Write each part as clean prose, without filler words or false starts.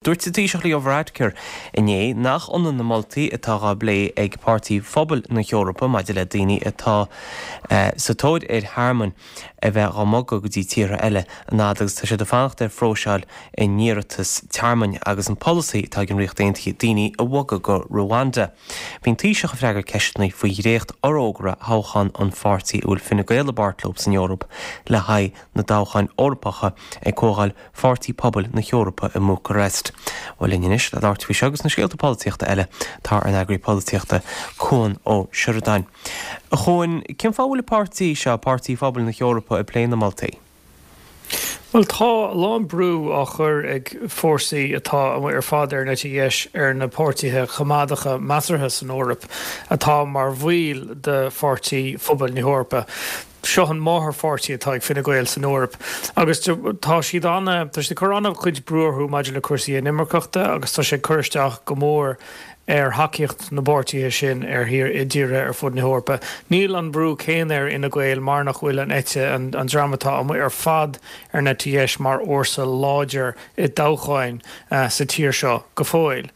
Dúirt an Taoiseach Leo Varadkar inné nach ionann na moltaí atá dhá bplé ag Páirtí Phobail na hEorpa maidir le daoine atá sa tóir ar thearmann a bheith dhá mbogadh go dtí tíortha eile an fhad agus atá siad ag fanacht ar phróiseáil a n-iarratas tearmainn agus an polasaí atá ag an Ríocht Aontaithe daoine a bhogadh go Rwanda. Bhí an Taoiseach ag freagairt ceisteanna faoi dhréacht-fhorógra thoghcháin an pháirtí a bhfuil Fine Gael i bpáirt leo san Eoraip le haghaidh na dtoghcháin Eorpacha ag Comhdháil Pháirtí Pobail na hEorpa i mBúcairest. Bhuel linn anois le labhairt faoi seo agus na scéalta polaitíochta eile tá ár n-eagraí polaitíochta, Cuan Ó Seireadáin. A Chuain, cén fáth a bhfuil an páirtí seo, Páirtí Phobail na hEorpa, ag plé na moltaí? Bhuel, tá a lán brú á chur ag fórsaí atá amuigh ar fad ar an eite dheis ar na páirtithe coimeádacha measartha san Eoraip atá mar bhaill de Pháirtí Phobail na hEorpa. Seo an máthairpháirtí atá ag Fine Gael san Eoraip agus tá siad ana, tá siad ag cur ana-chuid brú orthu maidir le cúrsaí inimirceachta agus tá sé ag cur isteach go mór ar thacaíocht na bpáirtithe sin ar thír, i dtíortha ar fud na hEorpa. Níl an brú céanna ar Fhine Gael mar nach bhfuil an eite, an dream atá amuigh ar fad ar an eite dheis mar fhórsa láidir i dtoghcháin sa tír seo go fóill.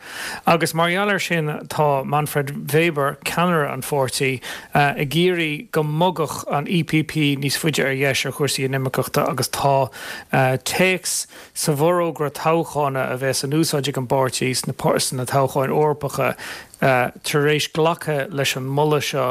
Agus mar gheall air sin tá Manfred Weber, ceannaire an pháirtí, ag iarraidh go mbogfadh an EPP níos faide ar dheis ar chúrsaí inimirceachta agus tá téacs sa bhforógra toghchána a bheas in úsáid ag an bpáirtí sna toghcháin Eorpacha tar éis glacadh leis an moladh seo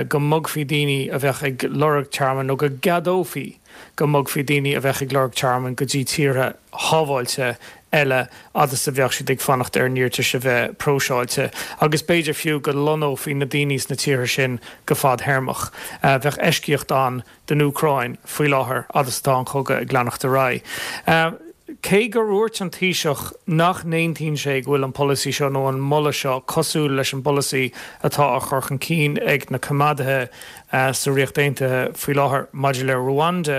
go mbogfaí daoine a bheadh ag lorg tearmainn nó go gceadófaí go mbogfaí daoine a bheadh ag lorg tearmainn go dtí tíortha shábháilte eile fhad is a bheadh siad ag fanacht ar a n-iarratais a bheith próiseáilte, agus b'fhéidir fiú go lonnófaí na daoine sna tíortha sin go fadthéarmach. Bheadh eisceacht ann don Úcráin faoi láthair fhad is atá an cogadh ag leanacht ar aghaidh. Cé gur dhúirt an Taoiseach nach n-aontaíonn sé go bhfuil an polasaí seo nó an moladh seo cosúil leis an bpolasaí atá á chur chun cinn ag na coimeádaithe sa Ríocht Aontaithe faoi láthair maidir le Ruanda,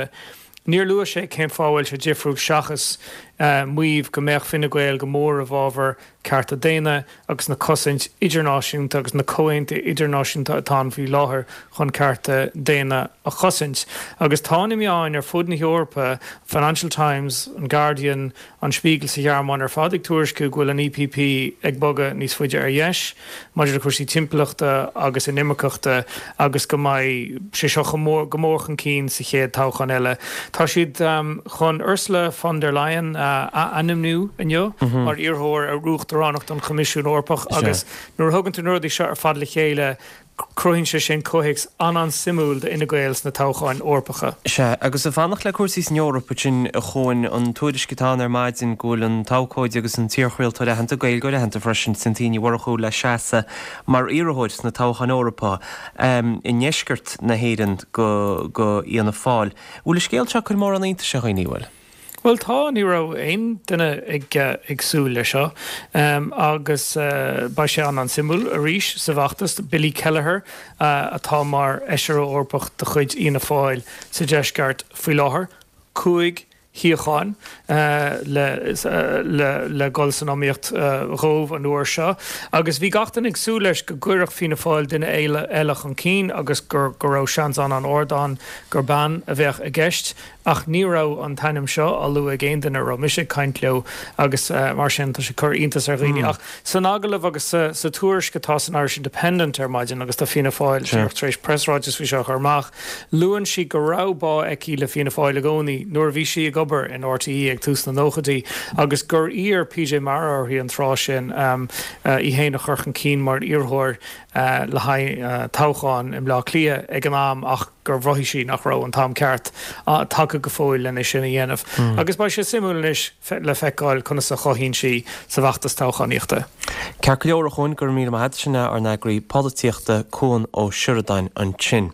níor luaigh sé cén fáth a bhfuil sé difriúil seachas maíomh go mbeadh Fine Gael go mór i bhfabhar cearta daonna agus na cosaint idirnáisiúnta agus na comhaontuithe idirnáisiúnta atá ann faoi láthair chun cearta daonna a chosaint. Agus tá na meáin ar fud na hEorpa, Financial Times, an Guardian, An Spiegel sa Ghearmáin ar fad ag tuairisciú go bhfuil an EPP ag bogadh níos faide ar dheis maidir le cúrsaí timpeallachta agus inimirceachta agus go mbeidh sé seo go mór chun cinn sa chéad toghchán eile. Tá siad chun Ursula von der Leyen a ainmniú inniu mar iarrthóir ar uachtaránacht an Choimisiúin Eorpach agus nuair a thugann tú na rudaí seo ar fad le chéile, Cruthaíonn sé sin comhthéacs an-an-suimiúil d'Fhine Gael sna toghcháin Eorpacha. Sea, agus ag fanacht le cúrsaí san Eoraip ansin, a Chuain, an tuairisc atá ann ar maidin go bhfuil an t-abhcóide agus an t-iarchraoltóir aitheanta, Gaeilgeoir aitheanta freisin, Cynthia Ní Mhurchú le seasamh mar iarrthóir sna toghcháin Eorpacha i ndeisceart na hÉireann do Fhianna Fáil. Bhfuil an scéal seo ag cur mórán iontais ar dhaoine, bhfuil? Bhuel tá, ní raibh aon duine ag súil leis seo agus beidh sé an-an-suimiúil arís sa bhfeachtas. Billy Kelleher atá mar Fheisire Eorpach de chuid Fhianna Fáil sa deisceart faoi láthair, 5 shuíochán le dhul san iomaíocht dhóibh an uair seo agus bhí gach duine ag súil leis go gcuirfeadh Fianna Fáil duine eile chun cinn agus go raibh seans an-an-ard ann gur bean a bheadh i gceist. Ach ní raibh an t-ainm seo á lua ag aon duine a raibh mise ag caint leo agus mar sin tá sé ag cur iontas ar dhaoine. Ach san agallamh agus sa tuairisc atá san Irish Independent ar maidin, agus tá Fianna Fáil díreach tar éis preasráiteas faoi seo a chur amach, luann sí go raibh bá aici le Fianna Fáil i gcónaí nuair a bhí sí ag obair in RTÉ ag tús na nóchaidí agus gur iarr PJ Mara uirthi an tráth sin í féin a chur chun cinn mar iarrthóir le haghaidh toghchán i mBleá Cliath ag an am ach gur mhothaigh sí nach raibh an t-am ceart tagtha go fóill lena sin a dhéanamh. Agus beidh sé suimiúil anois le feiceáil conas a chothaíonn sí sa bhfeachtas toghchánaíochta. Ceart go leor, a Chuain, go raibh míle maith agat. Sin é ár n-eagraí polaitíochta, Cuan Ó Seireadáin ansin.